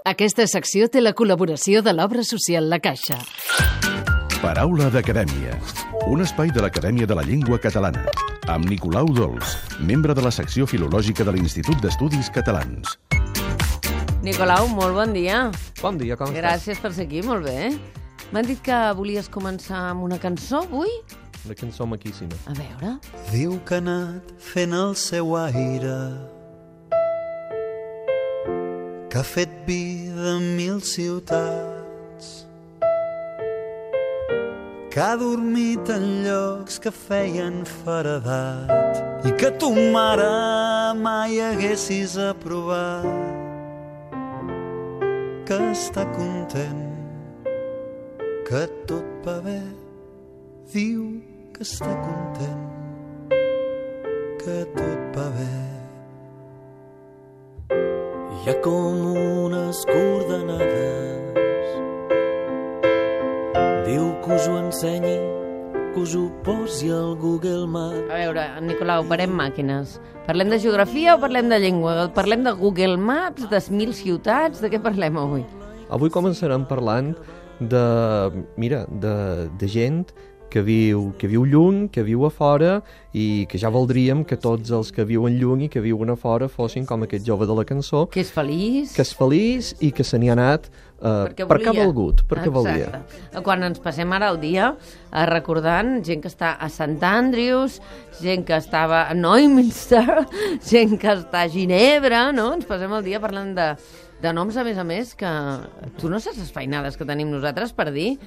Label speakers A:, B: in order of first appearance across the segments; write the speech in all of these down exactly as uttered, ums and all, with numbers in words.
A: Aquesta secció té la col·laboració de l'Obra Social La Caixa.
B: Paraula d'Acadèmia, un espai de l'Acadèmia de la Llengua Catalana, amb Nicolau Dols, membre de la secció filològica de l'Institut d'Estudis Catalans.
C: Nicolau, molt bon dia.
D: Bon dia, com estàs?
C: Gràcies per ser aquí, molt bé. M'han dit que volies començar amb una cançó avui?
D: Una cançó maquíssima.
C: A veure...
E: Diu que ha anat fent el seu aire, que ha fet vida en mil ciutats, que ha dormit en llocs que feien feredat i que tu, mare, mai haguessis aprovat, que està content, que tot va bé, diu que està content, que tot va bé. Hi ha com unes coordenades, diu que us ho ensenyi, que us ho posi al Google Maps.
C: A veure, Nicolau, parem màquines. Parlem de geografia o parlem de llengua? Parlem de Google Maps, de mil ciutats? De què parlem avui?
D: Avui començarem parlant de, mira, de, de gent que viu, que viu lluny, que viu a fora i que ja voldríem que tots els que viuen lluny i que viuen a fora fossin com aquest jove de la cançó.
C: Que és feliç.
D: Que és feliç i que se n'hi ha anat uh, perquè, perquè ha volgut, perquè volia.
C: Quan ens passem ara el dia uh, recordant gent que està a Sant Andrews, gent que estava a Neumünster, gent que està a Ginebra, no? Ens passem el dia parlant de, de noms, a més a més, que tu no saps les feinades que tenim nosaltres per dir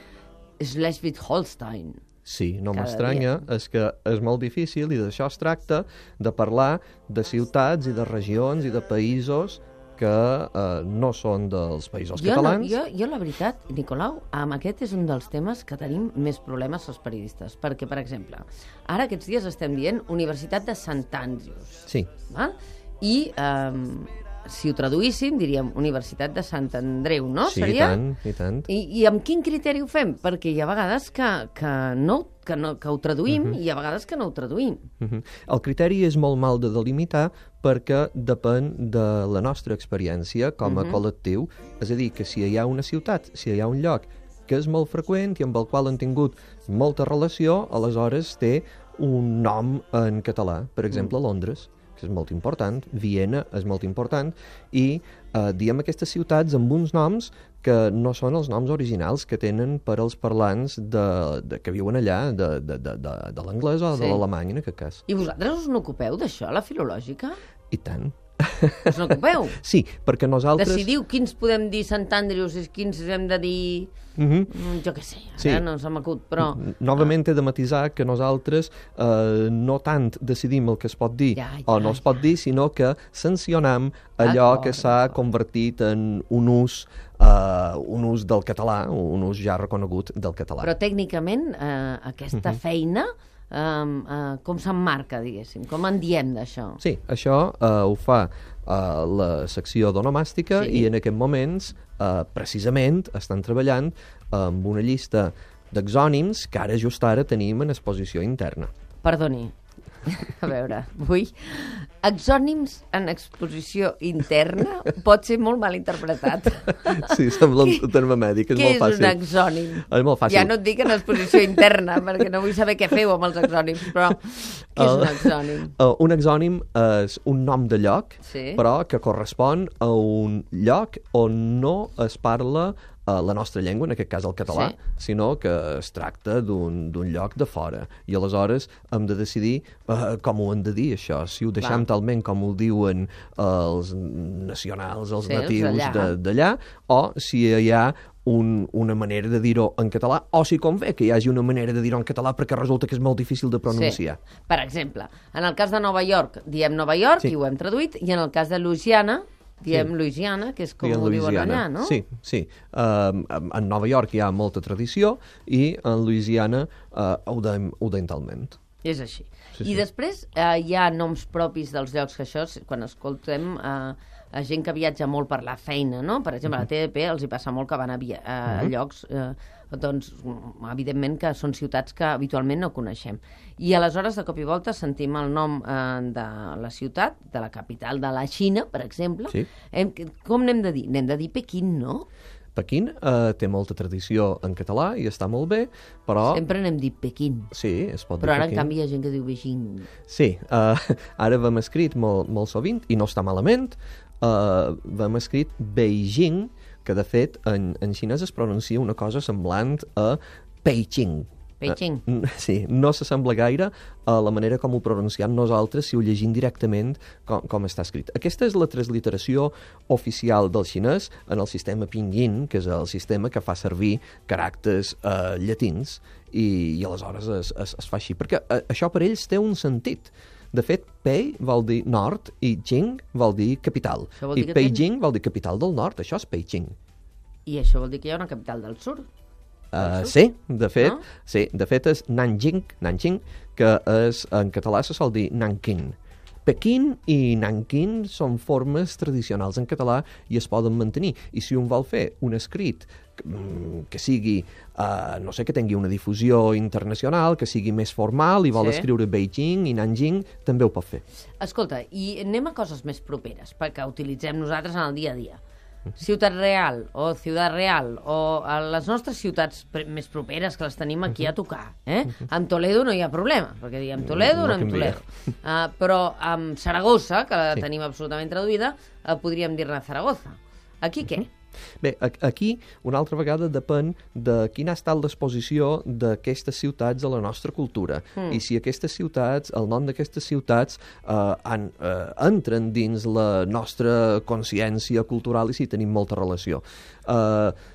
C: Schleswig-Holstein.
D: Sí, no m'estranya, és que és molt difícil i d'això es tracta, de parlar de ciutats i de regions i de països que eh, no són dels països
C: jo
D: catalans.
C: No, jo, jo, la veritat, Nicolau, amb aquest és un dels temes que tenim més problemes els periodistes, perquè, per exemple, ara aquests dies estem dient Universitat de Sant Andrews.
D: Sí.
C: Val? I... Eh, si ho traduíssim, diríem Universitat de Sant Andreu, no?
D: Sí,
C: Seria?
D: i tant, i tant.
C: I, I amb quin criteri ho fem? Perquè hi ha vegades que, que, no, que, no, que ho traduïm uh-huh. i hi ha vegades que no ho traduïm.
D: Uh-huh. El criteri és molt mal de delimitar perquè depèn de la nostra experiència com a uh-huh. col·lectiu. És a dir, que si hi ha una ciutat, si hi ha un lloc que és molt freqüent i amb el qual han tingut molta relació, aleshores té un nom en català. Per exemple, uh-huh. Londres, que és molt important, Viena és molt important, i eh, diem aquestes ciutats amb uns noms que no són els noms originals que tenen per als parlants de, de, que viuen allà, de, de, de, de, de l'anglès o sí. de l'alemany, en aquest cas.
C: I vosaltres us n'ocupeu d'això, la filològica?
D: I tant.
C: Us n'ocupeu?
D: Sí, perquè nosaltres...
C: Decidiu quins podem dir Sant Andrews i quins hem de dir... Uh-huh. Jo què sé, ara sí. no se m'acut, però...
D: Novament he de matisar que nosaltres eh, no tant decidim el que es pot dir ja, ja, o no es pot dir, sinó que sancionam allò que s'ha convertit en un ús, uh, un ús del català, un ús ja reconegut del català.
C: Però tècnicament eh, aquesta uh-huh. feina... Um, uh, com s'emmarca, diguéssim? Com en diem d'això?
D: Sí, això uh, ho fa uh, la secció d'onomàstica sí. i en aquests moments, uh, precisament, estan treballant amb una llista d'exònims que ara, just ara, tenim en exposició interna.
C: Perdoni, a veure, vull... Exònims en exposició interna pot ser molt mal interpretat.
D: Sí, sembla un terme mèdic, és molt fàcil.
C: Què és un exònim?
D: És molt fàcil.
C: Ja no et dic en exposició interna, perquè no vull saber què feu amb els exònims, però què és un exònim?
D: Uh, un exònim és un nom de lloc,
C: sí.
D: però que correspon a un lloc on no es parla uh, la nostra llengua, en aquest cas el català, sí. sinó que es tracta d'un lloc de fora. I aleshores hem de decidir uh, com ho hem de dir, això. Si ho deixem Clar. talment com ho diuen els nacionals, els sí, natius d'allà, o si hi ha un, una manera de dir-ho en català, o si convé que hi hagi una manera de dir-ho en català perquè resulta que és molt difícil de pronunciar.
C: Sí. Per exemple, en el cas de Nova York diem Nova York, sí. i ho hem traduït, i en el cas de Louisiana diem sí. Louisiana, que és com diem ho Louisiana. Diuen allà, no?
D: Sí, sí. Uh, en Nova York hi ha molta tradició i en Louisiana uh, ho deim, ho deim talment.
C: És així.
D: Sí,
C: I
D: sí.
C: després eh, hi ha noms propis dels llocs que això, quan escoltem eh, a gent que viatja molt per la feina, no? Per exemple, a la T D P els hi passa molt que van a, via a uh-huh. llocs, eh, doncs, evidentment que són ciutats que habitualment no coneixem. I aleshores, de cop i volta, sentim el nom eh, de la ciutat, de la capital de la Xina, per exemple. Sí. Hem, com n'hem de dir? N'hem de dir Pequín, no?
D: Pequín eh, té molta tradició en català i està molt bé, però...
C: Sempre n'hem dit Pequín.
D: Sí, es pot
C: però
D: dir
C: ara,
D: Pequín.
C: En canvi, hi ha gent que diu Beijing.
D: Sí, eh, ara vam escrit molt, molt sovint, i no està malament, eh, vam escrit Beijing, que de fet en, en xinès es pronuncia una cosa semblant a Beijing.
C: Beijing.
D: Uh, sí, no s'assembla gaire a la manera com ho pronunciem nosaltres si ho llegim directament com, com està escrit. Aquesta és la transliteració oficial del xinès en el sistema pinyin, que és el sistema que fa servir caràcters uh, llatins, i, i aleshores es, es, es fa així, perquè uh, això per ells té un sentit. De fet, Pei vol dir nord i Jing vol dir capital. I Beijing ten... vol dir capital del nord, això és Beijing.
C: I això vol dir que hi ha una capital del sud?
D: Uh, sí, de fet, no? sí, de fet és Nanjing, Nanjing, que és, en català se sol dir Nanking. Pequín i Nanking són formes tradicionals en català i es poden mantenir. I si un vol fer un escrit que sigui, uh, no sé, que tingui una difusió internacional, que sigui més formal i vol sí. escriure Beijing i Nanjing, també ho pot fer.
C: Escolta, i anem a coses més properes, perquè utilitzem nosaltres en el dia a dia. Ciutat Real o Ciutat Real o a les nostres ciutats més properes que les tenim aquí a tocar. Eh? Amb Toledo no hi ha problema, perquè diem Toledo o no, no amb Toledo. Uh, però amb Saragossa, que la sí. tenim absolutament traduïda, uh, podríem dir-ne Zaragoza. Aquí què?
D: Bé, aquí, una altra vegada, depèn de quina ha estat l'exposició d'aquestes ciutats a la nostra cultura. Mm. I si aquestes ciutats, el nom d'aquestes ciutats, eh, han, eh, entren dins la nostra consciència cultural i si tenim molta relació. Eh,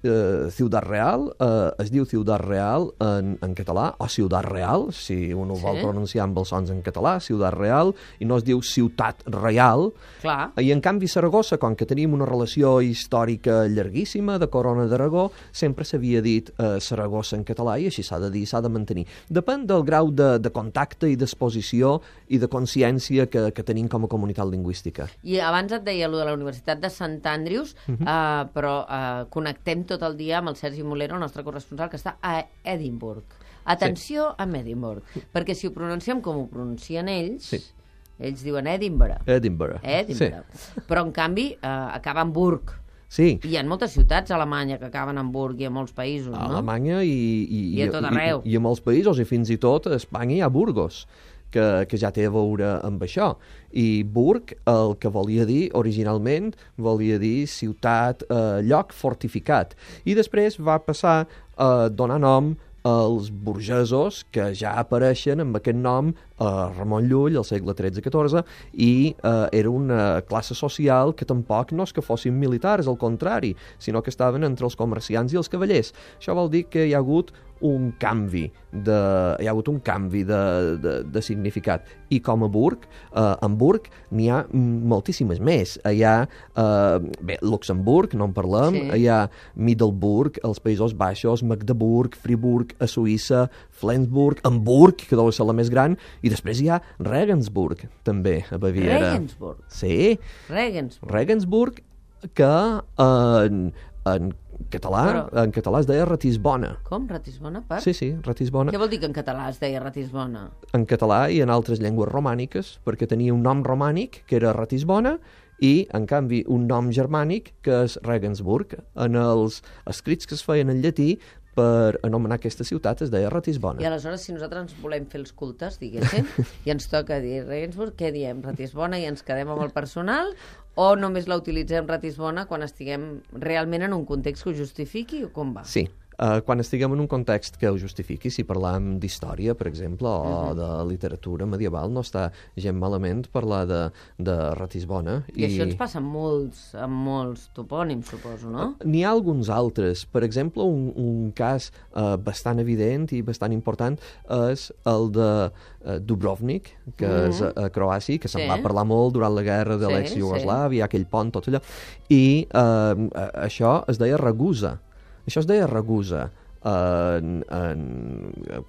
D: Uh, Ciutat Real, uh, es diu Ciutat Real en, en català, o Ciutat Real, si un ho sí. vol pronunciar amb els sons en català, Ciutat Real, i no es diu Ciutat Real.
C: Clar.
D: I en canvi Saragossa, com que tenim una relació històrica llarguíssima de Corona d'Aragó, sempre s'havia dit uh, Saragossa en català i així s'ha de dir, s'ha de mantenir. Depèn del grau de, de contacte i d'exposició i de consciència que, que tenim com a comunitat lingüística.
C: I abans et deia allò de la Universitat de Sant Andrews, uh -huh. uh, però uh, connectem tot el dia amb el Sergi Molero, el nostre corresponsal, que està a Edimburg. Atenció sí. a Edimburg, perquè si ho pronunciem com ho pronuncien ells, sí. ells diuen Edinburgh.
D: Edinburgh.
C: Edinburgh. Sí. Però, en canvi, eh, acaba en Burg.
D: Sí.
C: Hi ha moltes ciutats a Alemanya que acaben en Burg i a molts països,
D: a
C: no?
D: A Alemanya i, i,
C: I a tot arreu.
D: I, i a molts països, i fins i tot a Espanya hi ha Burgos, que, que ja té a veure amb això. I Burg, el que volia dir originalment, volia dir ciutat, eh, lloc fortificat. I després va passar a donar nom als burgesos, que ja apareixen amb aquest nom a Ramon Llull, al segle tretze catorze, i eh, era una classe social que tampoc no és que fossin militars, al contrari, sinó que estaven entre els comerciants i els cavallers. Això vol dir que hi ha hagut un canvi de, hi ha hagut un canvi de, de, de significat. I com a Burg, eh, en Burg n'hi ha moltíssimes més. Hi ha, eh, bé, Luxemburg, no en parlem, sí. hi ha Middelburg, als Països Baixos, Magdeburg, Friburg, a Suïssa, Flensburg, Hamburg, que deu ser la més gran, i després hi ha Regensburg, també, a Baviera.
C: Regensburg?
D: Sí.
C: Regensburg.
D: Regensburg, que en, en català, Però... en català es deia Ratisbona.
C: Com? Ratisbona? Per?
D: Sí, sí, Ratisbona.
C: Què vol dir que en català es deia Ratisbona?
D: En català i en altres llengües romàniques, perquè tenia un nom romànic, que era Ratisbona, i, en canvi, un nom germànic, que és Regensburg. En els escrits que es feien en llatí, per anomenar aquesta ciutat es deia Ratisbona.
C: I aleshores, si nosaltres ens volem fer els cultes, diguéssim, i ens toca dir Regensburg, què diem? Ratisbona i ens quedem amb el personal? O només la utilitzem Ratisbona quan estiguem realment en un context que ho justifiqui o com va?
D: Sí. Uh, quan estiguem en un context que ho justifiqui, si parlam d'història, per exemple, o uh -huh. de literatura medieval, no està gent malament parlar de, de Ratisbona.
C: I, I això ens passa amb molts, amb molts topònims, suposo, no?
D: Uh, N'hi ha alguns altres. Per exemple, un, un cas uh, bastant evident i bastant important és el de uh, Dubrovnik, que uh -huh. és a, a Croàcia, que se'n sí. va parlar molt durant la guerra de sí, l'ex-Iugoslàvia, sí. aquell pont, tot allò. I uh, això es deia Ragusa. Això es deia Ragusa. en, en,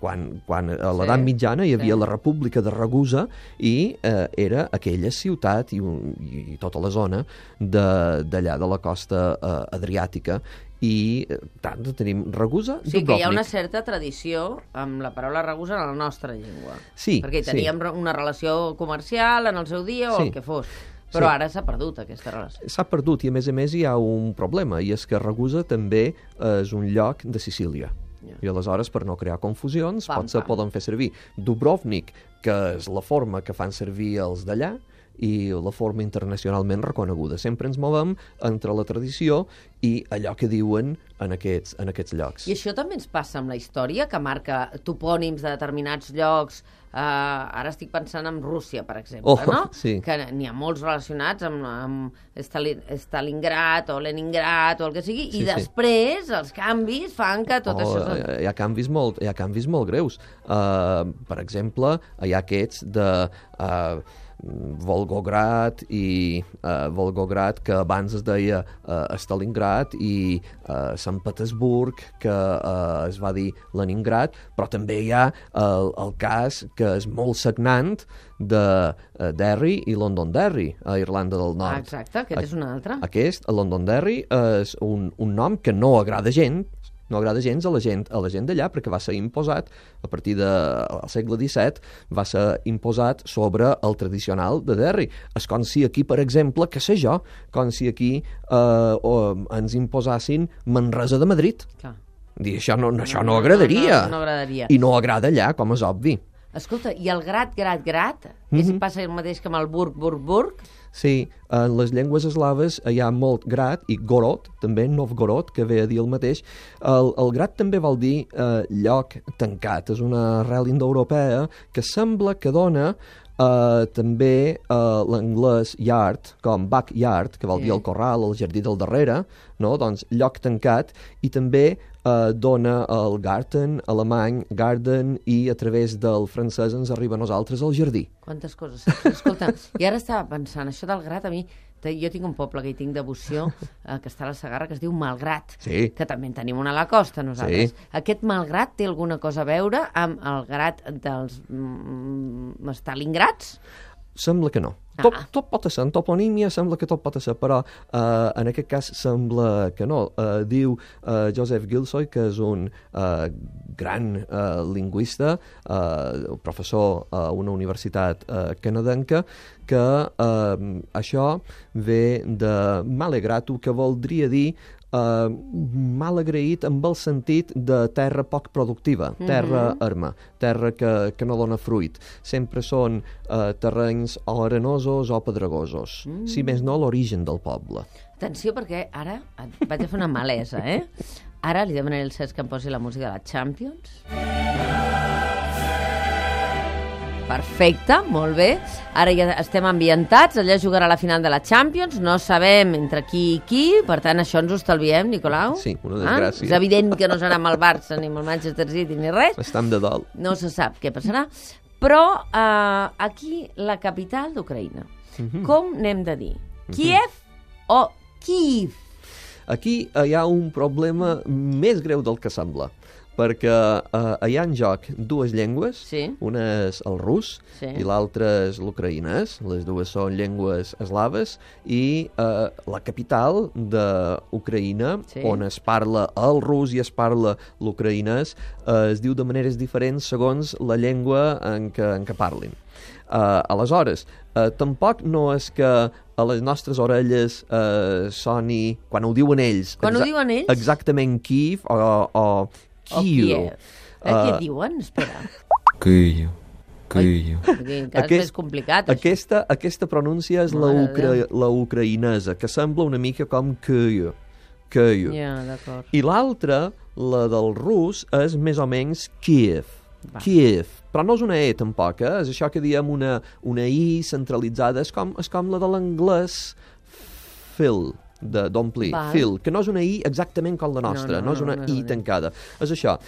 D: quan, quan a l'edat
C: Sí,
D: mitjana hi havia
C: sí.
D: la República de Ragusa i eh, era aquella ciutat i, un, i tota la zona de- d'allà de, de la costa eh, adriàtica i eh, tant tenim Ragusa,
C: O sigui que hi ha una
D: Dubrovnik.
C: certa tradició amb la paraula ragusa en la nostra llengua.
D: Sí,
C: Perquè
D: sí.
C: teníem re- una relació comercial en el seu dia o
D: Sí.
C: el que fos. Però
D: Sí.
C: ara s'ha perdut aquesta relació.
D: S'ha perdut i, a més a més, hi ha un problema, i és que Ragusa també és un lloc de Sicília.
C: Ja.
D: I aleshores, per no crear confusions,
C: Pam,
D: potser
C: pam.
D: poden fer servir Dubrovnik, que és la forma que fan servir els d'allà, i la forma internacionalment reconeguda. Sempre ens movem entre la tradició i allò que diuen en aquests, en aquests llocs.
C: I això també ens passa amb la història, que marca topònims de determinats llocs. Uh, ara estic pensant en Rússia, per exemple,
D: Oh,
C: no?
D: sí.
C: Que n'hi ha molts relacionats amb, amb Stalin, Stalingrad o Leningrad o el que sigui,
D: Sí,
C: i
D: sí.
C: després els canvis fan que tot
D: Oh,
C: això...
D: hi ha- hi ha canvis molt, hi ha canvis molt greus. Uh, per exemple, hi ha aquests de uh, Volgograd i uh, Volgograd, que abans es deia uh, Stalingrad, i uh, Sant Petersburg, que uh, es va dir Leningrad, però també hi ha el, el cas que és molt sagnant de uh, Derry i Londonderry, a Irlanda del Nord.
C: Ah, exacte, aquest és un altre.
D: Aquest, a Londonderry, és un, un nom que no agrada gent, no agrada gens a la gent, a la gent d'allà, perquè va ser imposat, a partir del segle disset, va ser imposat sobre el tradicional de Derry. És com si aquí, per exemple, que sé jo, com si aquí eh, o, ens imposassin Manresa de Madrid.
C: Clar.
D: Dir, això no, no, això no agradaria.
C: No, no agradaria.
D: I no agrada allà, com és obvi.
C: Escolta, i el grat, grat, grat, mm -hmm. passa el mateix que amb el burg, burg, burg?
D: Sí, en les llengües eslaves hi ha molt grat, i gorod, també, Novgorod, que ve a dir el mateix. El, el grat també vol dir eh, lloc tancat, és una arrel indoeuropea que sembla que dona Uh, també uh, l'anglès yard, com backyard, que vol
C: Sí.
D: dir el corral, el jardí del darrere, no? Doncs lloc tancat, i també uh, dona el garten, alemany, garden, i a través del francès ens arriba a nosaltres el jardí.
C: Quantes coses saps? Escolta, i ara estava pensant, això del grat, a mi, te- jo tinc un poble que hi tinc devoció, eh, que està a la Segarra, que es diu Malgrat,
D: Sí.
C: que també en tenim una a la costa, nosaltres.
D: Sí.
C: Aquest Malgrat té alguna cosa a veure amb el grat dels mm, Stalingrads?
D: Sembla que no.
C: Ah.
D: Tot, tot pot ser, en toponímia sembla que tot pot ser, però uh, en aquest cas sembla que no. Uh, diu uh, Joseph Gilsoy, que és un uh, gran uh, lingüista, uh, professor a una universitat uh, canadenca, que uh, això ve de malegratu, que voldria dir Uh, mal agraït amb el sentit de terra poc productiva, terra
C: Mhm.
D: erma, terra que, que no dona fruit. Sempre són uh, terrenys o arenosos o pedregosos. Mm. Si més no, l'origen del poble.
C: Atenció, perquè ara et vaig a fer una malesa, eh? Ara li demanaré al Cesc que em posi la música de la Champions. Perfecte, molt bé. Ara ja estem ambientats, allà jugarà la final de la Champions, no sabem entre qui i qui, per tant això ens ho estalviem, Nicolau.
D: Sí, una
C: Ah?
D: desgràcia.
C: És evident que no serà amb el Barça ni amb el Manchester City ni res,
D: Estam de dol.
C: no se sap què passarà, però eh, aquí la capital d'Ucraïna,
D: Mhm.
C: com n'hem de dir? Kiev o Kiev?
D: Aquí eh, hi ha un problema més greu del que sembla, perquè eh, hi ha en joc dues llengües,
C: Sí.
D: una és el rus
C: Sí.
D: i l'altra és l'ucraïnès, les dues són llengües eslaves, i eh, la capital d'Ucraïna,
C: Sí.
D: on es parla el rus i es parla l'ucraïnès, eh, es diu de maneres diferents segons la llengua en què, en què parlin. Uh, aleshores, uh, tampoc no és que a les nostres orelles uh, soni, quan ho diuen ells,
C: Quan ho
D: exa-
C: diuen ells?
D: exactament Kiev o, o
C: O
D: Kiev.
C: Kiev. Eh, què
D: Uh,
C: diuen? Espera.
F: Київ, Київ.
C: Aquí encara és més complicat, això.
D: aquesta, aquesta pronúncia és la,
C: Mare de
D: ucra
C: Déu.
D: la ucraïnesa, que sembla una mica com Kiev. Kiev.
C: Ja, d'acord.
D: I l'altra, la del rus, és més o menys Kiev.
C: Va.
D: Kiev. Però no és una E, tampoc, eh? És això que diem una, una I centralitzada. És com, és com la de l'anglès fill, de d'omplir,
C: Val.
D: fill, que no és una I exactament com la nostra,
C: No, no,
D: no, és
C: no,
D: una
C: no és
D: I
C: una I.
D: tancada. És això.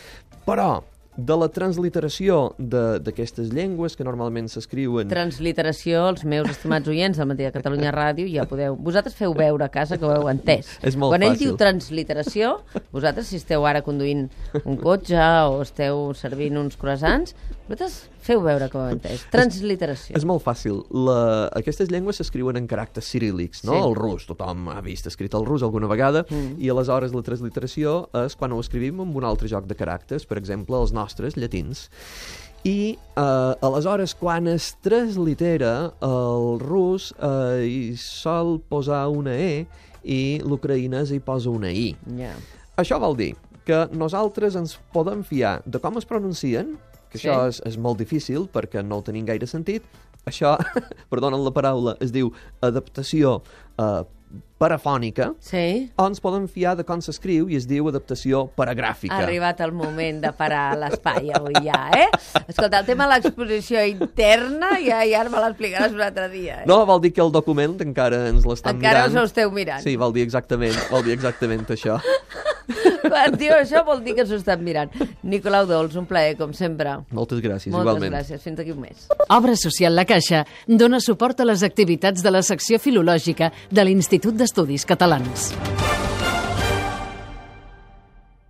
D: Però de la transliteració de- d'aquestes llengües que normalment s'escriuen...
C: Transliteració, els meus estimats oients del Matí de Catalunya Ràdio, ja podeu... Vosaltres feu veure a casa que ho heu entès.
D: És molt
C: Quan ell
D: fàcil.
C: diu transliteració, vosaltres, si esteu ara conduint un cotxe o esteu servint uns croissants, vosaltres feu veure que ho heu entès. Transliteració.
D: És molt fàcil. La... Aquestes llengües s'escriuen en caràcters ciríl·lics, no?
C: Sí.
D: El rus, tothom ha vist escrit el rus alguna vegada, mm. i aleshores la transliteració és quan ho escrivim amb un altre joc de caràcters, per exemple, els nostres, llatins. I eh, aleshores, quan es translitera, el rus eh, hi sol posar una E i l'ucraïnès hi posa una I.
C: Ja.
D: Això vol dir que nosaltres ens podem fiar de com es pronuncien, que
C: Sí.
D: això és, és molt difícil perquè no ho tenim gaire sentit. Això, perdonen la paraula, es diu adaptació eh, parafònica,
C: Sí?
D: o ens podem fiar de com s'escriu i es diu adaptació paragràfica.
C: Ha arribat el moment de parar l'espai avui ja, eh? Escolta, el tema de l'exposició interna ja, ja me l'explicaràs un altre dia, eh?
D: No, vol dir que el document encara ens l'estan
C: Encara
D: mirant.
C: us ho esteu mirant.
D: Sí, vol dir exactament, vol dir exactament això.
C: Quan diu això vol dir que s'ho estan mirant. Nicolau Dols, un plaer, com sempre.
D: Moltes gràcies,
C: Moltes
D: igualment.
C: gràcies. Fins aquí un mes.
A: Obra Social La Caixa dona suport a les activitats de la secció filològica de l'Institut d'Estudis Catalans.